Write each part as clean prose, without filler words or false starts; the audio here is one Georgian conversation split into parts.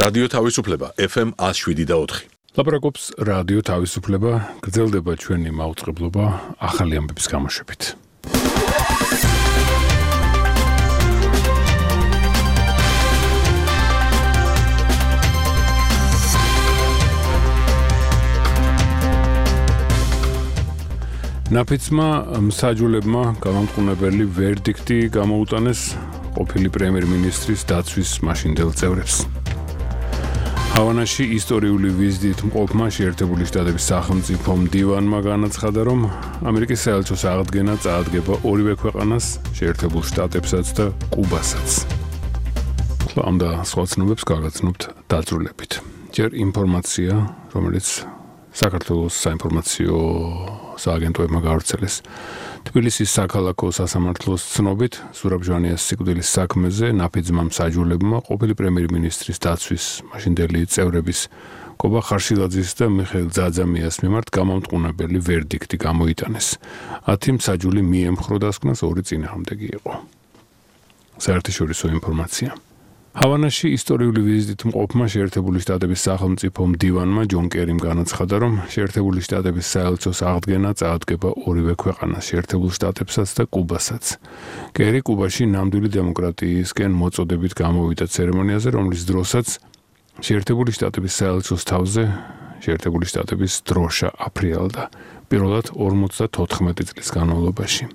რადიო თავისუფლება FM 107.4. ლაპარაკობს რადიო თავისუფლება, გრძელდება ჩვენი მაუწყებლობა ახალი ამბების გამოშვებით. ნაფიცმა მსაჯულებმა გამამტყუნებელი ვერდიქტი გამოუტანეს ყოფილი პრემიერ-მინისტრის დაცვის მაშინდელ წევრებს. ჰავანაში ისტორიული ვიზიტით მყოფმა შეერთებული შტატების სახელმწიფო მდივანმა განაცხადა, რომ ამერიკის საელჩოს აღდგენა წაადგება ორივე ქვეყანას, შეერთებულ შტატებსაც და კუბასაც. ამ და სხვა ცნობებს გავაგრძნობთ დაძრულებით. ჯერ ინფორმაცია, რომელიც საქართველოს საინფორმაციო სააგენტოებმა გავრცელეს. თბილისის საქალაქო სასამართლოს ცნობით, ზურაბ ჟვანიას სიკვდილის საქმეზე ნაფიცმა მსაჯულებმა ყოფილი პრემიერ-მინისტრის დაცვის მაშინდელი წევრების კობა ხარშილაძის და მიხეილ ძაძამიას მიმართ გამამტყუნებელი ვერდიქტი გამოიტანეს. 10 მსაჯული მიემხრო დასკვნას, 2 წინააღმდეგი იყო. საერთაშორისო ინფორმაცია. ჰავანაში ისტორიული ვიზიტით მყოფმა შეერთებული შტატების სახელმწიფო მდივანმა ჯონ კერიმ განაცხადა, რომ შეერთებული შტატების საელჩოს აღდგენა წაადგება ორივე ქვეყანას, შეერთებულ შტატებსაც და კუბასაც. კერი კუბაში ნამდვილი დემოკრატიისკენ მოწოდებით გამოვიდა ცერემონიაზე, რომლის დროსაც შეერთებული შტატების საელჩოს თავზე შეერთებული შტატების დროშა აფრიალდა, პირველად 54 წლის განმავლობაში.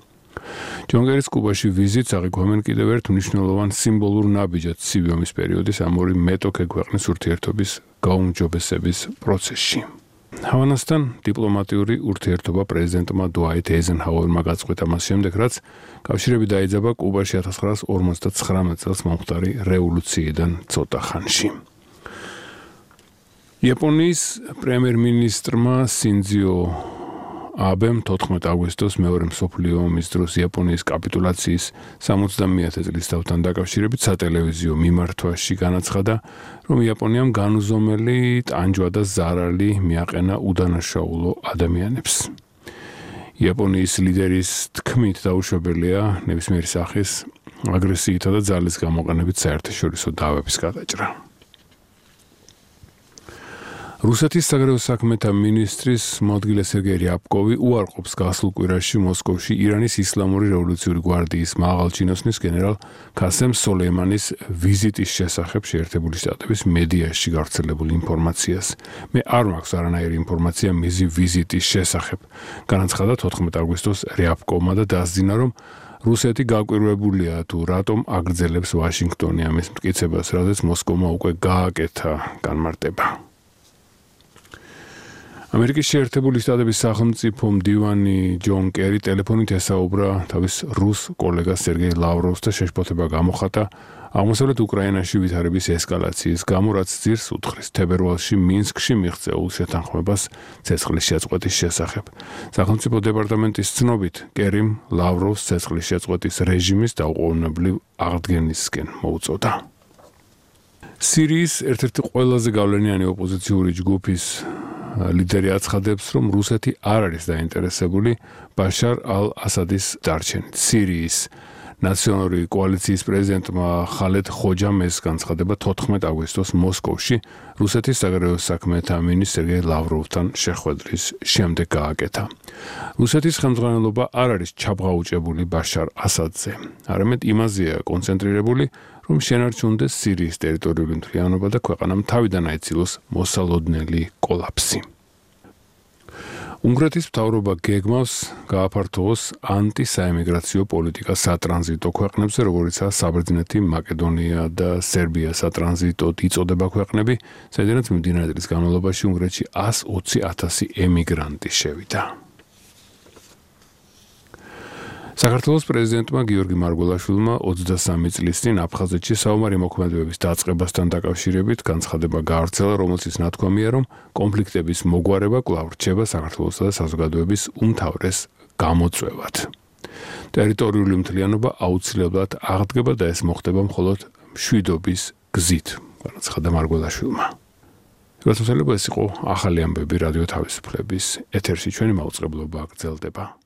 ჯონ კერის კუბაში ვიზიტს აღიქვამენ კიდევ ერთ მნიშვნელოვან სიმბოლურ ნაბიჯად ცივი ომის პერიოდის ამ ორი მეტოქე ქვეყნის ურთიერთობის გაუმჯობესების პროცესში. ჰავანასთან დიპლომატიური ურთიერთობა პრეზიდენტმა დუაიტ ეიზენჰაუერმა გაწყვეტა მას შემდეგ, რაც კავშირები დაიძაბა კუბაში 1959 წელს მომხდარი რევოლუციიდან ცოტა ხანში. იაპონიის პრემიერ-მინისტრმა სინძიო აბემ 14 აგვისტოს მეორე მსოფლიო ომის დროს იაპონიის კაპიტულაციის 70-ე წლის თავთან დაკავშირებით სატელევიზიო მიმართვაში განაცხადა, რომ იაპონიამ განუზომელი ტანჯვა და ზარალი მიაყენა უდანაშაულო ადამიანებს. იაპონიის ლიდერის თქმით დაუშვებელია ნებისმიერი სახის აგრესიითა და ძალის გამოყენებით საერთაშორისო დავების გადაჭრა. რუსეთის საგარეო საქმეთა მინისტრის მოადგილე სერგეი რიაბკოვი უარყოფს გასულ კვირაში მოსკოვში ირანის ისლამური რევოლუციური გვარდიის მაღალჩინოსნის გენერალ ქასემ სოლეიმანის ვიზიტის შესახებ შეერთებული შტატების მედიაში გავრცელებულ ინფორმაციას. მე არ მაქვს არანაირი ინფორმაცია მისი ვიზიტის შესახებ, განაცხადა 14 აგვისტოს რიაბკოვმა და დასძინა, რომ რუსეთი გაკვირვებულია თუ რატომ აგრძელებს ვაშინგტონი ამის მტკიცებას, რადგან მოსკოვმა უკვე გააკეთა განმარტება. ამერიკის შეერთებული შტატების სახელმწიფო მდივანი ჯონ კერი ტელეფონით ესაუბრა თავის რუს კოლეგას სერგეი ლავროვს და შეშფოთება გამოხატა აღმოსავლეთ უკრაინაში ვითარების ესკალაციის გამო, რაც ძირს უთხრის თებერვალში მინსკში მიღწეულ შეთანხმებას ცეცხლის შეწყვეტის შესახებ. სახელმწიფო დეპარტამენტის ცნობით, კერიმ ლავროვს ცეცხლის შეწყვეტის რეჟიმის დაუყოვნებლივ აღდგენისკენ მოუწოდა. სირიის ერთ-ერთი ყველაზე გავლენიანი ოპოზიციური ჯგუფის ლიდერი აცხადებს, რომ რუსეთი არ არის დაინტერესებული ბაშარ ალ-ასადის დარჩენით. სირიის ნაციონალური კოალიციის პრეზიდენტმა ხალედ ხოჯამეს განცხადება 14 აგვისტოს მოსკოვში რუსეთის საგარეო საქმეთა მინისტრ სერგეი ლავროვთან შეხვედრის შემდეგ გააკეთა. რუსეთის ხელმძღვანელობა არ არის ჩაბღაუჭებული ბაშარ ასადზე, არამედ იმაზეა კონცენტრირებული, რომ შენარჩუნდეს სირიის ტერიტორიული მთლიანობა და ქვეყანამ თავიდან აიცილოს მოსალოდნელი კოლაფსი. უნგრეთის მთავრობა გეგმავს გააფართოვოს ანტისაემიგრაციო პოლიტიკა სატრანზიტო ქვეყნებზე, როგორიცაა საბერძნეთი, მაკედონია და სერბია. სატრანზიტოდ იწოდება ქვეყნები, სადაც მიმდინარე წლის განმავლობაში უნგრეთში 120,000 ემიგრანტი შევიდა. საქართველოს პრეზიდენტმა გიორგი მარგველაშვილმა 23 წლის წინ აფხაზეთში საომარი მოქმედებების დაწყებასთან დაკავშირებით განცხადება გაავრცელა, რომელშიც ნათქვამია, რომ კონფლიქტების მოგვარება კვლავ რჩება საქართველოსა და საზოგადოების უმთავრეს გამოწვევად. ტერიტორიული მთლიანობა აუცილებლად აღდგება და ეს მოხდება მხოლოდ მშვიდობის გზით, განაცხადა მარგველაშვილმა. ეს იყო ახალი ამბები რადიო თავისუფლების ეთერში. ჩვენი მაუწყებლობა გრძელდება.